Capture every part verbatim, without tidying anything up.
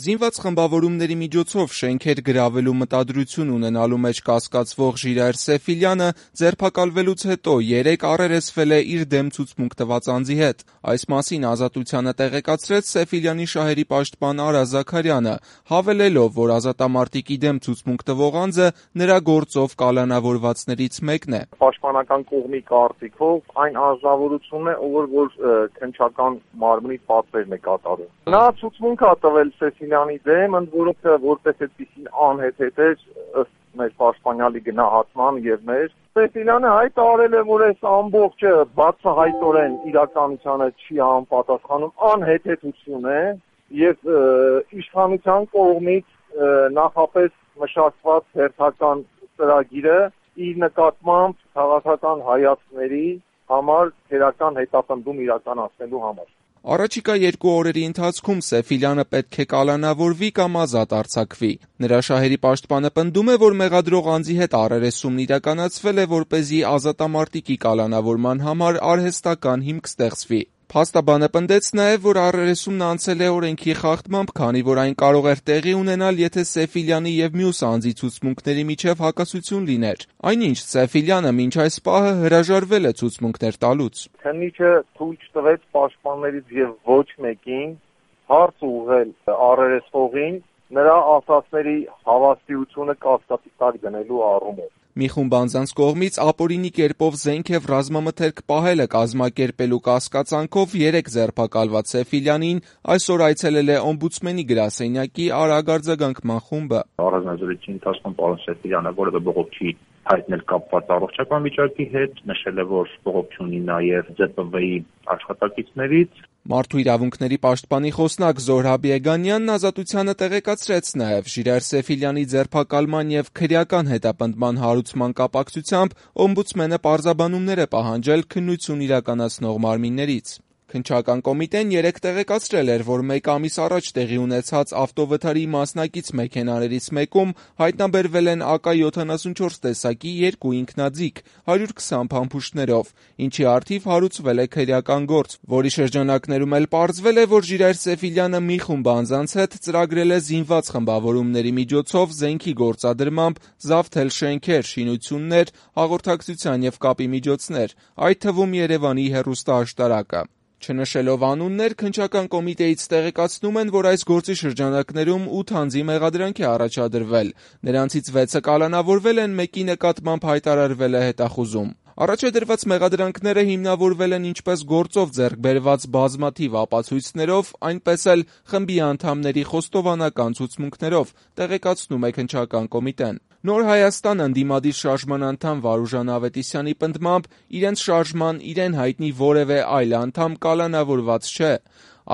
Զինված խմբավորումների միջոցով շենքեր գրավելու մտադրություն ունենալու մեջ կասկածվող Ժիրայր Սեֆիլյանը ձերբակալվելուց հետո երեկ առերեսվել է իր դեմ ցուցմունք տված անձի հետ։ Այս մասին Ազատությանը տեղեկացրեց Սեֆիլյանի շահերի պաշտպան Արա Զաքարյանը, հավելելով, որ ազատամարտիկի դեմ ցուցմունք տվող անձը նրա գործով կալանավորվածներից մեկն է։ Պաշտպանական կողմի կարծիքով այն անձնավորությունն է, ով որ քննչական մարմնի պատվերն է կատարում։ Նա ցուցմունք է տվել Սեֆիլյանի դեմ, ընդ որում որպես այդպիսին անհեթեթեր ըստ մեր պաշտպանյալի գնահատման եւ մեր Սեֆիլյանը հայտարարել է, որ այս ամբողջը բացահայտորեն իրականությանը չի համապատասխանում, անհեթեթություն է եւ իշխանության կողմից նախապես մշակված հերթական ծրագիրը իր նկատմամբ քաղաքական հայացքների համար քերական հետապնդում իրականացնելու համար։ Առաջիկա երկու օրերի ընթացքում Սեֆիլյանը պետք է կալանավորվի կամ ազատ արձակվի։ Նրա շահերի պաշտպանը պնդում է, որ մեղադրող անձի հետ առերեսումն իրականացվել է, որպեսզի ազատամարտիկի կալանավորման համար արհեստական հիմք ստեղծվի։ Փաստաբանը պնդեց նաև, որ առերեսումն անցել է օրենքի խախտմամբ, քանի որ այն կարող էր տեղի ունենալ, եթե Սեֆիլյանի եւ մյուս անձի ցուցմունքների միջև հակասություն լիներ։ Այնինչ Սեֆիլյանը մինչ այս պահը հրաժարվել է ցուցմունքներ տալուց։ Քննիչը թույլ չտվեց պաշտպաններից եւ ոչ մեկին հարց ուղղել առերեսվողին նրա ասացների հավաստիությունը կասկածի տակ դնելու առումով։ Մի խումբ անձանց կողմից ապօրինի կերպով զենք եւ ռազմամթերք պահելը կազմակերպելու կասկածանքով երեկ ձերբակալված Սեֆիլյանին այսօր այցելել է օմբուդսմենի գրասենյակի արագ արձագանքման խումբը։ Առանձնազրույցի ընթացքում պարոն Սեֆիլյանը որևէ բողոք չի հայտնել կապված առողջական վիճակի հետ, նշել է, որ բողոք չունի նաև ձե պը վեի աշխատակիցներից։ Մարդու իրավունքների պաշտպանի խոսնակ Զոհրաբ Եգանյանն Ազատությանը տեղեկացրեց նաև Ժիրայր Սեֆիլյանի ձերբակալման եւ քրեական հետապնդման հարուցման կապակցությամբ օմբուդսմենը պարզաբանումներ է պահանջել քննություն իրականացնող մարմիններից։ Քննչական կոմիտեն երեկ տեղեկացրել էր, որ մեկ ամիս առաջ տեղի ունեցած ավտովթարի մասնակից մեքենաներից մեկում հայտնաբերվել են ԱԿ յոթանասունչորս տեսակի երկու ինքնաձիգ հարյուր քսան փամփուշտներով, ինչի առթիվ հարուցվել է քրեական գործ, որի շրջանակներում էլ պարզվել է, որ Ժիրայր Սեֆիլյանը մի խումբ անձանց հետ ծրագրել է զինված խմբավորումների միջոցով զենքի գործադրմամբ զավթել շենքեր, շինություններ, հաղորդակցության եւ կապի միջոցներ, այդ թվում Երևանի հեռուստաաշտարակը։ Չնշելով անուններ, քննչական կոմիտեից տեղեկացնում են, որ այս գործի շրջանակներում ութ անձի մեղադրանք է առաջադրվել, նրանցից վեցը կալանավորվել են, մեկի նկատմամբ հայտարարվել է հետախուզում։ Առաջադրված մեղադրանքները հիմնավորվել են ինչպես գործով ձեռք բերված բազմաթիվ ապացույցներով, այնպես էլ խմբի անդամների խոստովանական ցուցմունքներով, տեղեկացնում է քննչական կոմիտեն։ Նոր Հայաստան ընդդիմադիր շարժման անդամ Վարուժան Ավետիսյանի պնդմամբ իրենց շարժման իրեն հայտնի որևէ այլ անդամ կալանավորված չէ։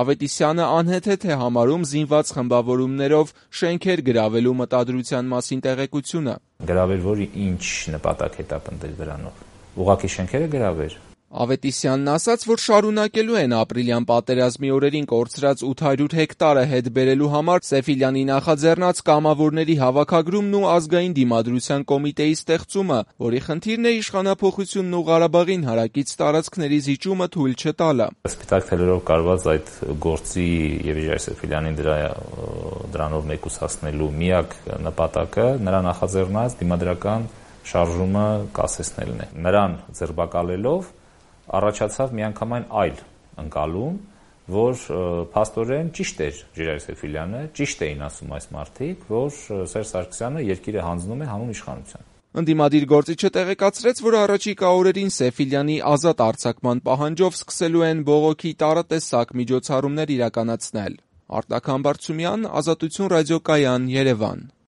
Ավետիսյանը անհեթեթ է համարում զինված խմբավորումներով շենքեր գրավելու մտադրության մասին տեղեկությունը։ Գրավել որ ինչ նպատակ հետապնդել դրանով։ Ուղղակի շենքերը գրավել։ Ավետիսյանն ասաց, որ շարունակելու են ապրիլյան պատերազմի օրերին կորցրած ութ հարյուր հեկտարը հետ բերելու համար Սեֆիլյանի նախաձեռնած կամավորների հավաքագրումն ու ազգային դիմադրության կոմիտեի ստեղծումը, որի խնդիրն է իշխանափոխությունն ու Ղարաբաղին հարակից տարածքների զիջումը թույլ չտալը։ Սպիտակ թելերով կարված այդ գործի եւ Ժիրայր Սեֆիլյանին դրա դրանով մեկուսացնելու միակ նպատակը նրա նախաձեռնած դիմադրական շարժումը կասեցնելն է։ Նրան ձերբակալելով առաջացավ միանգամայն այլ ընկալում, որ փաստորեն ճիշտ էր Ժիրայր Սեֆիլյանը, ճիշտ էին ասում այս մարդիկ, որ Սերժ Սարգսյանը երկիրը հանձնում է հանուն իշխանության։ Ընդդիմադիր գործիչը տեղեկացրեց, որ առաջիկա օրերին Սեֆիլյանի ազատ արձակման պահանջով սկսելու են բողոքի տարատեսակ միջոցառումներ իրականացնել։ Արտակ Համբարձումյան, Ազատություն ռադիոկայան, Երևան։